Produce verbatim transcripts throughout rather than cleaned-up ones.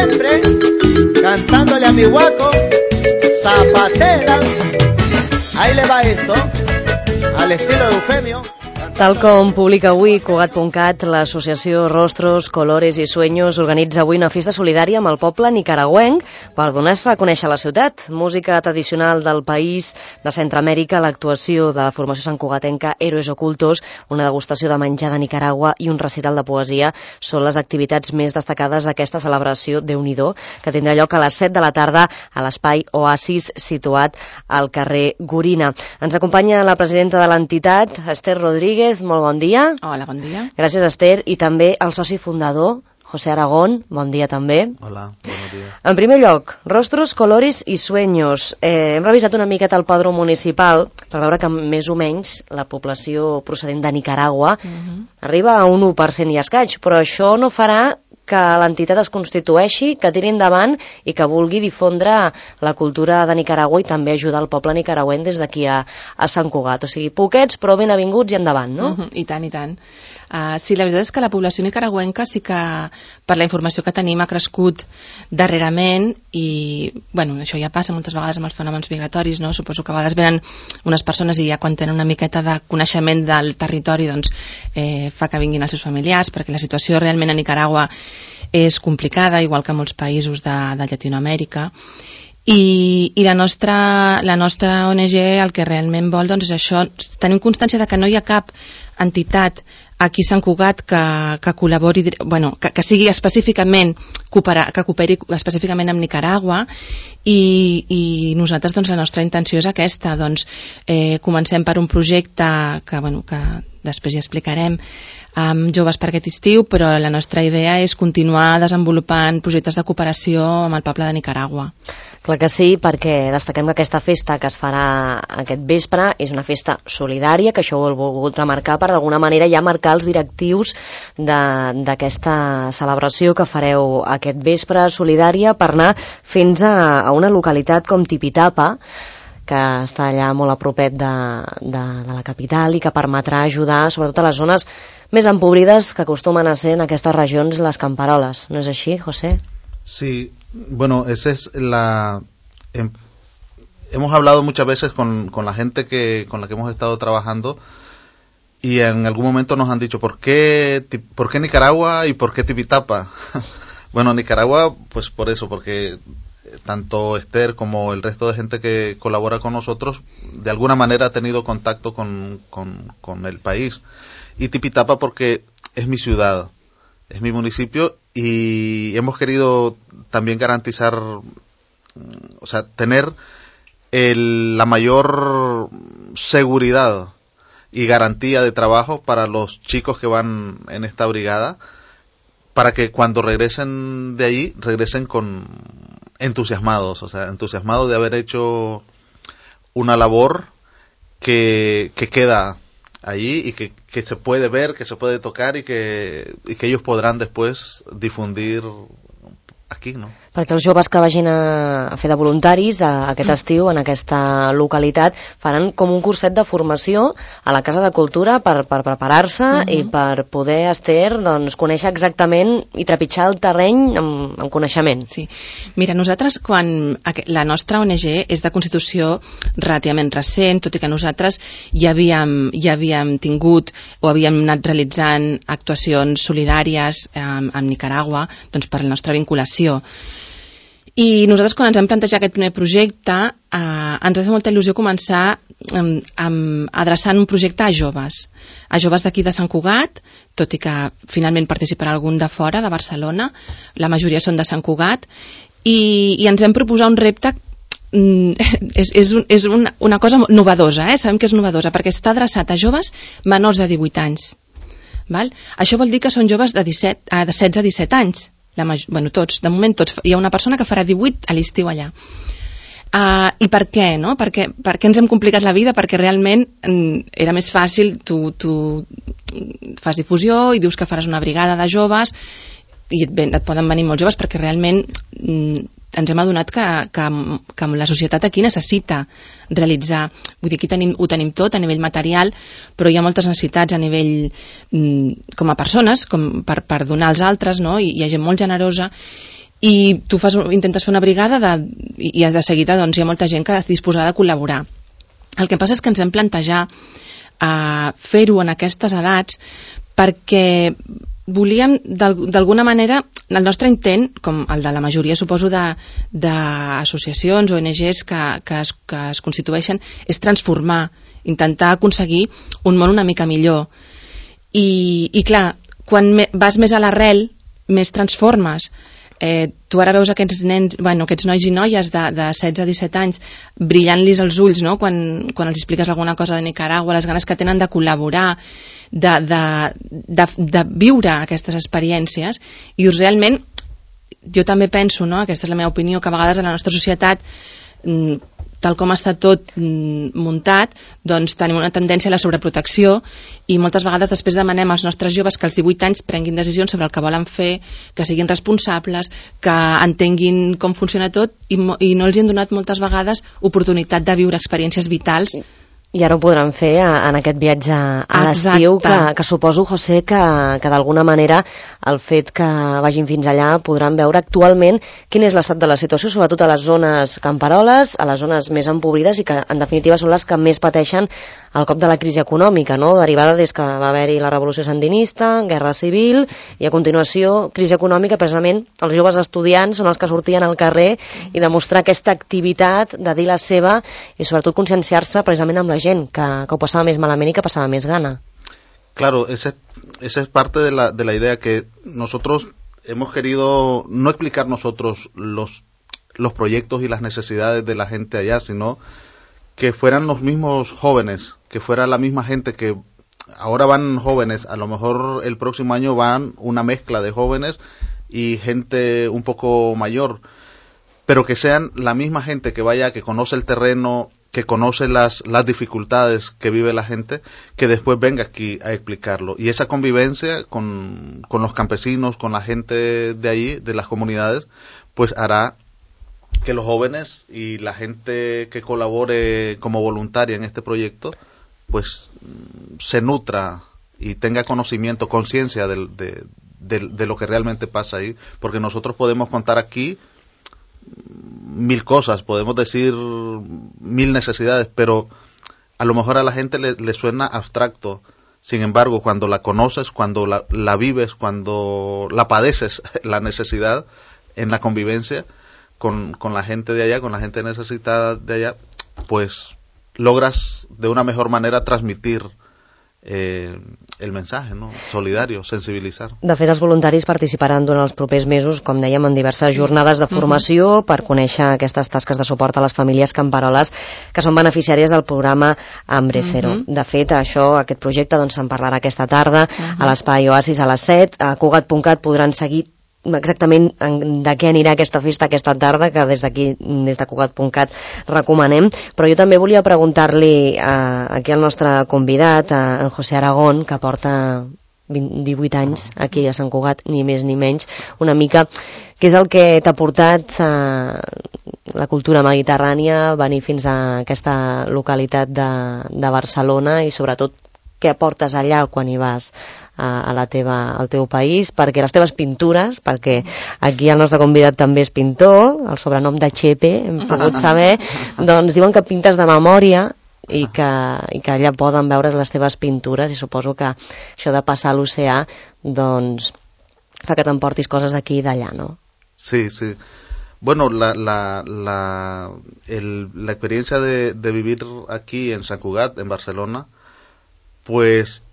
siempre, cantándole a mi guaco, zapatera. Ahí le va esto, al estilo de Eufemio. Tal com publica avui Cugat punt cat, l'associació Rostros, Colores i Sueños organitza avui una festa solidària amb el poble nicaragüenc per donar-se a conèixer la ciutat. Música tradicional del país de Centroamèrica, l'actuació de la formació santcugatenca Héroes Ocultos, una degustació de menjar de Nicaragua i un recital de poesia són les activitats més destacades d'aquesta celebració Déu-n'hi-do, que tindrà lloc a les set de la tarda a l'espai Oasis situat al carrer Gorina. Ens acompanya la presidenta de l'entitat, Esther Rodríguez. Molt bon dia. Hola, bon dia. Gràcies, Esther. I també el soci fundador, José Aragón. Bon dia també. Hola, bon dia. En primer lloc, Rostros, Colores i Sueños. Eh, hem revisat una miqueta el padró municipal per veure que més o menys la població procedent de Nicaragua uh-huh. arriba a un u per cent i escaig, però això no farà que l'entitat es constitueixi, que tiri endavant i que vulgui difondre la cultura de Nicaragua i també ajudar el poble nicaragüent des d'aquí a, a Sant Cugat. O sigui, poquets però ben avinguts i endavant, no? Uh-huh. I tant, i tant. Uh, sí, la veritat és que la població nicaragüenca sí que, per la informació que tenim, ha crescut darrerament i, bueno, això ja passa moltes vegades amb els fenòmens migratoris, no? Suposo que a vegades venen unes persones i ja quan tenen una miqueta de coneixement del territori, doncs, eh, fa que vinguin els seus familiars, perquè la situació realment a Nicaragua és complicada, igual que a molts països de, de Llatinoamèrica. I, i la, nostra, la nostra O N G el que realment vol doncs, és això, tenim constància de que no hi ha cap entitat aquí a Sant Cugat que, que col·labori, bueno, que, que sigui específicament coopera, que cooperi específicament amb Nicaragua i, i nosaltres doncs, la nostra intenció és aquesta, doncs eh, comencem per un projecte que, bueno, que després ja explicarem amb joves per aquest estiu, però la nostra idea és continuar desenvolupant projectes de cooperació amb el poble de Nicaragua. Clar que sí, perquè destaquem que aquesta festa que es farà aquest vespre és una festa solidària, que això ho he volgut remarcar per d'alguna manera ja marcar els directius d'aquesta celebració que fareu aquest vespre solidària per anar fins a, a una localitat com Tipitapa, que està allà molt a propet de, de, de la capital i que permetrà ajudar sobretot a les zones més empobrides que acostumen a ser en aquestes regions les camperoles. ¿No és així, José? Sí, bueno, esa es la... Hem, hemos hablado muchas veces con, con la gente que con la que hemos estado trabajando y en algún momento nos han dicho ¿por qué, por qué Nicaragua y por qué Tipitapa? Bueno, Nicaragua, pues por eso, porque tanto Esther como el resto de gente que colabora con nosotros de alguna manera ha tenido contacto con, con, con el país. Y Tipitapa porque es mi ciudad, es mi municipio y hemos querido también garantizar, o sea, tener el, la mayor seguridad y garantía de trabajo para los chicos que van en esta brigada, para que cuando regresen de allí, regresen con entusiasmados, o sea, entusiasmados de haber hecho una labor que, que queda allí y que, que se puede ver, que se puede tocar y que, y que ellos podrán después difundir aquí, ¿no? Perquè els joves que vagin a fer de voluntaris a aquest estiu en aquesta localitat faran com un curset de formació a la Casa de Cultura per, per preparar-se uh-huh. i per poder, Esther, doncs, conèixer exactament i trepitjar el terreny amb, amb coneixement. Sí. Mira, nosaltres quan la nostra O N G és de constitució relativament recent, tot i que nosaltres ja havíem, ja havíem tingut o havíem anat realitzant actuacions solidàries amb, amb Nicaragua doncs per la nostra vinculació. I nosaltres quan ens hem plantejat aquest primer projecte eh, ens ha fet molta il·lusió començar eh, amb, adreçant un projecte a joves a joves d'aquí de Sant Cugat, tot i que finalment participarà algun de fora, de Barcelona, la majoria són de Sant Cugat i, i ens hem proposat un repte mm, és, és, un, és una, una cosa novedosa, eh? Sabem que és novedosa perquè està adreçat a joves menors de divuit anys, val? Això vol dir que són joves de, disset, eh, de setze a disset anys. La major, bueno, tots, de moment tots. Hi ha una persona que farà divuit a l'estiu allà. Uh, I per què, no? Perquè, per què ens hem complicat la vida? Perquè realment mm, era més fàcil, tu, tu fas difusió i dius que faràs una brigada de joves i et, ven, et poden venir molts joves perquè realment mm, ens hem adonat que, que, que la societat aquí necessita realitzar, vull dir, aquí tenim, ho tenim tot a nivell material, però hi ha moltes necessitats a nivell mm, com a persones, com per, per donar als altres, no? I hi ha gent molt generosa i tu fas, intentes fer una brigada de, i de seguida doncs, hi ha molta gent que és disposada a col·laborar. El que passa és que ens hem plantejat uh, fer-ho en aquestes edats perquè volíem d'alguna manera, el nostre intent, com el de la majoria suposo d'associacions o O N Ges que, que, es, que es constitueixen, és transformar, intentar aconseguir un món una mica millor. I, i clar, quan me, vas més a l'arrel, més transformes. Eh, tu ara veus aquests nens, bueno, aquests nois i noies de, de setze a disset anys brillant-lis els ulls, no?, quan, quan els expliques alguna cosa de Nicaragua, les ganes que tenen de col·laborar, de, de, de, de viure aquestes experiències. I realment, jo també penso, no?, aquesta és la meva opinió, que a vegades en la nostra societat, tal com està tot muntat, doncs tenim una tendència a la sobreprotecció i moltes vegades després demanem als nostres joves que als divuit anys prenguin decisions sobre el que volen fer, que siguin responsables, que entenguin com funciona tot i, i no els hi han donat moltes vegades oportunitat de viure experiències vitals. I ara ho podran fer en aquest viatge a l'estiu, que, que suposo, José, que, que d'alguna manera el fet que vagin fins allà podran veure actualment quin és l'estat de la situació, sobretot a les zones camperoles, a les zones més empobrides i que en definitiva són les que més pateixen el cop de la crisi econòmica, no?, derivada des que va haver-hi la revolució sandinista, guerra civil i a continuació crisi econòmica. Precisament els joves estudiants són els que sortien al carrer i demostrar aquesta activitat de dir la seva i sobretot conscienciar-se precisament amb la gent que, que ho passava més malament i que passava més gana. Claro, esa, esa es parte de la, de la idea que nosotros hemos querido no explicar nosotros los, los proyectos y las necesidades de la gente allá, sino que fueran los mismos jóvenes, que fuera la misma gente que ahora van jóvenes, a lo mejor el próximo año van una mezcla de jóvenes y gente un poco mayor, pero que sean la misma gente que vaya, que conoce el terreno, que conoce las, las dificultades que vive la gente, que después venga aquí a explicarlo. Y esa convivencia con, con los campesinos, con la gente de allí, de las comunidades, pues hará que los jóvenes y la gente que colabore como voluntaria en este proyecto, pues se nutra y tenga conocimiento, conciencia de, de, de, de lo que realmente pasa ahí, porque nosotros podemos contar aquí mil cosas, podemos decir mil necesidades, pero a lo mejor a la gente le, le suena abstracto. Sin embargo, cuando la conoces, cuando la, la vives, cuando la padeces, la necesidad en la convivencia con, con la gente de allá, con la gente necesitada de allá, pues logras de una mejor manera transmitir Eh, el mensaje, no? Solidario, sensibilitzar. De fet, els voluntaris participaran durant els propers mesos, com dèiem, en diverses sí. jornades de formació uh-huh. per conèixer aquestes tasques de suport a les famílies camperoles que són beneficiàries del programa Hambre Cero. Uh-huh. De fet, això, aquest projecte, doncs se'n parlarà aquesta tarda uh-huh. a l'Espai Oasis a les set. A Cugat punt cat podran seguir exactament de què anirà aquesta festa aquesta tarda, que des d'aquí, des de Cugat punt cat recomanem, però jo també volia preguntar-li a, aquí al nostre convidat, a en José Aragón, que porta vint, divuit anys aquí a Sant Cugat, ni més ni menys, una mica què és el que t'ha portat a la cultura mediterrània, venir fins a aquesta localitat de, de Barcelona i sobretot què aportes allà quan hi vas a, a la teva, al teu país, perquè les teves pintures, perquè aquí el nostre convidat també és pintor, el sobrenom de Chepe, hem pogut saber, doncs diuen que pintes de memòria i que, i que allà poden veure les teves pintures i suposo que això de passar a l'oceà doncs fa que t'emportis coses d'aquí i d'allà, no? Sí, sí. Bueno, la, la, la, el, la experiencia de, de vivir aquí en Sant Cugat, en Barcelona, pues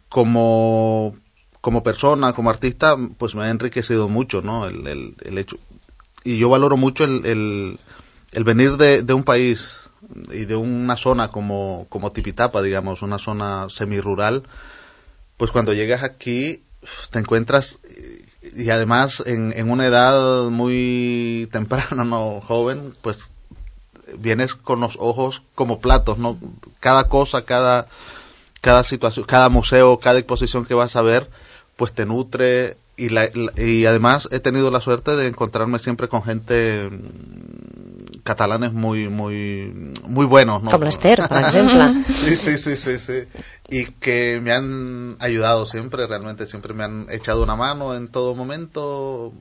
como como persona, como artista, pues me ha enriquecido mucho, ¿no? El, el, el hecho, y yo valoro mucho el, el, el venir de, de un país y de una zona como como Tipitapa, digamos, una zona semirural, pues cuando llegas aquí te encuentras, y además en, en una edad muy temprana, no joven, pues vienes con los ojos como platos, ¿no? Cada cosa, cada cada situación, cada museo, cada exposición que vas a ver, pues te nutre y, la, y además he tenido la suerte de encontrarme siempre con gente catalanes muy muy muy buenos, ¿no? Como Esther, por ejemplo. Sí, sí, sí, sí, sí. Y que me han ayudado siempre, realmente siempre me han echado una mano en todo momento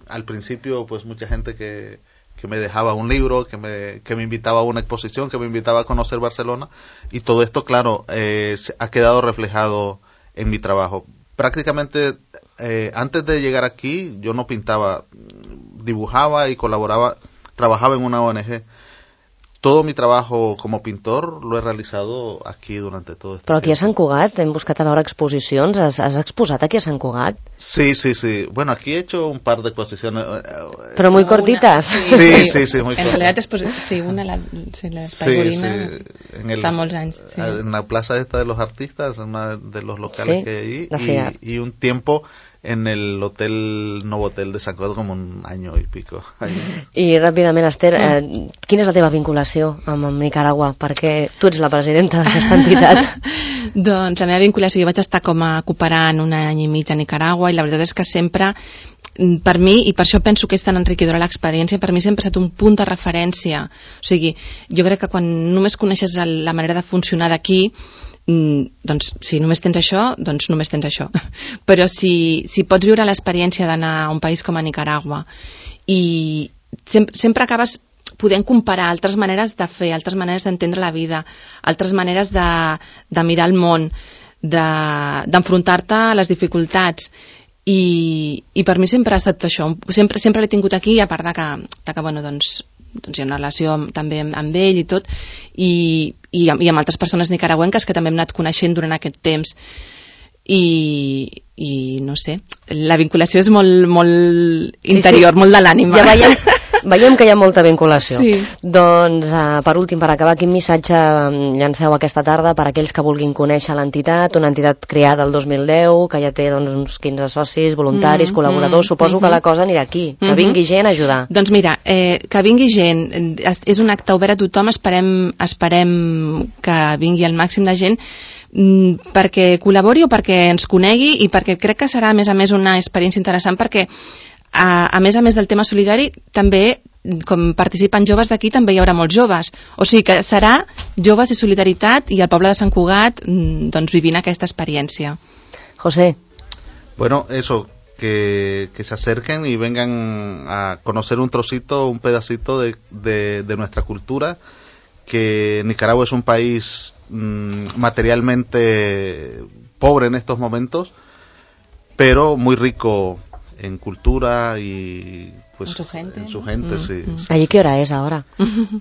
al principio pues mucha gente que, que me dejaba un libro, que me, que me invitaba a una exposición, que me invitaba a conocer Barcelona, y todo esto, claro, eh, ha quedado reflejado en mi trabajo. Prácticamente eh, antes de llegar aquí yo no pintaba, dibujaba y colaboraba, trabajaba en una O N G. Todo mi trabajo como pintor lo he realizado aquí durante todo este Però aquí tiempo. a Sant Cugat hem buscat a veure exposicions. Has, has exposat aquí a Sant Cugat? Sí, sí, sí. Bueno, aquí he hecho un par de exposiciones. Però muy Una- cortitas. Sí, sí, sí, muy En cortas. realitat, pues, sí, una, la, sí, l'Espai Sí, Gorina, sí. En el- fa molts anys. Sí. En la plaza esta de los artistas, en uno de los locales Sí, que hay la Fiar. allí, y, y un tiempo en el hotel, Novotel de Sant Cugat, como un año y pico. I ràpidament, Esther, eh, quina és la teva vinculació amb, amb Nicaragua? Perquè tu ets la presidenta d'aquesta entitat. Doncs la meva vinculació, jo vaig estar com a cooperant un any i mig a Nicaragua, i la veritat és que sempre, per mi, i per això penso que és tan enriquidora l'experiència, per mi sempre ha estat un punt de referència. O sigui, jo crec que quan només coneixes el, la manera de funcionar d'aquí, doncs si només tens això, doncs només tens això. Però si, si pots viure l'experiència d'anar a un país com a Nicaragua i sempre, sempre acabes podent comparar altres maneres de fer, altres maneres d'entendre la vida, altres maneres de, de mirar el món, d'enfrontar-te de, a les dificultats. I, i per mi sempre ha estat això, sempre, sempre l'he tingut aquí, a part de que, de que bueno, doncs, doncs hi ha una relació amb, també amb, amb ell i tot, i, i, i amb altres persones nicaragüenques que també hem anat coneixent durant aquest temps. I, i no sé, la vinculació és molt, molt interior, sí, sí. molt de l'ànima. Ja veiem, veiem que hi ha molta vinculació. Sí. Doncs, uh, per últim, per acabar, quin missatge llanceu aquesta tarda per a aquells que vulguin conèixer l'entitat, una entitat creada el dos mil deu, que ja té doncs, uns quinze socis, voluntaris, mm, col·laboradors, mm, suposo mm -hmm. que la cosa anirà aquí, que mm -hmm. vingui gent a ajudar. Doncs mira, eh, que vingui gent, és un acte obert a tothom, esperem, esperem que vingui el màxim de gent, perquè col·labori o perquè ens conegui, i perquè crec que serà a més a més una experiència interessant, perquè a, a més a més del tema solidari també, com participen joves d'aquí, també hi haurà molts joves, o sigui que serà joves i solidaritat, i el poble de Sant Cugat doncs vivint aquesta experiència. José. Bueno, eso, que, que se acerquen y vengan a conocer un trocito, un pedacito de, de, de nuestra cultura, que Nicaragua es un país mmm, materialmente pobre en estos momentos, pero muy rico en cultura y pues en su gente, en su gente, mm, sí. mm. ¿Allí qué hora es ahora?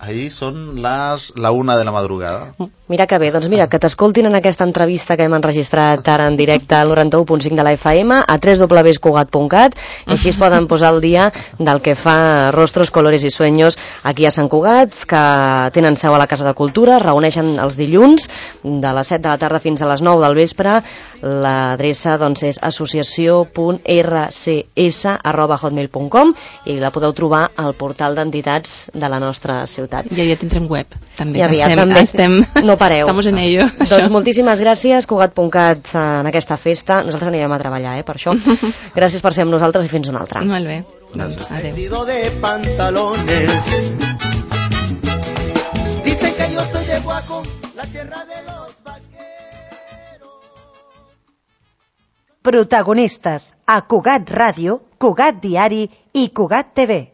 Ahí son las la una de la madrugada. Mira que bé, doncs mira, que t'escoltin en aquesta entrevista que hem enregistrat ara en directe al noranta-u punt cinc de la F M, a w w w punt cugat punt cat, i així es poden posar al dia del que fa Rostros, Colores i Sueños aquí a Sant Cugat, que tenen seu a la Casa de Cultura, reuneixen els dilluns de les set de la tarda fins a les nou del vespre. L'adreça doncs és associació punt r c s arroba hotmail punt com, i la podeu trobar al portal d'entitats de la nostra ciutat. I aviat tindrem web, també. I aviat estem, també. Estem, no pareu. Estamos en ello. Doncs això. Moltíssimes gràcies, Cugat punt cat, en aquesta festa. Nosaltres anirem a treballar, eh, per això. Gràcies per ser amb nosaltres i fins una altra. Molt bé. Doncs, adéu. De pantalones. Dicen que yo soy de Guaco, la tierra de los vaqueros. Protagonistes a Cugat Ràdio, Cugat Diari i Cugat T V.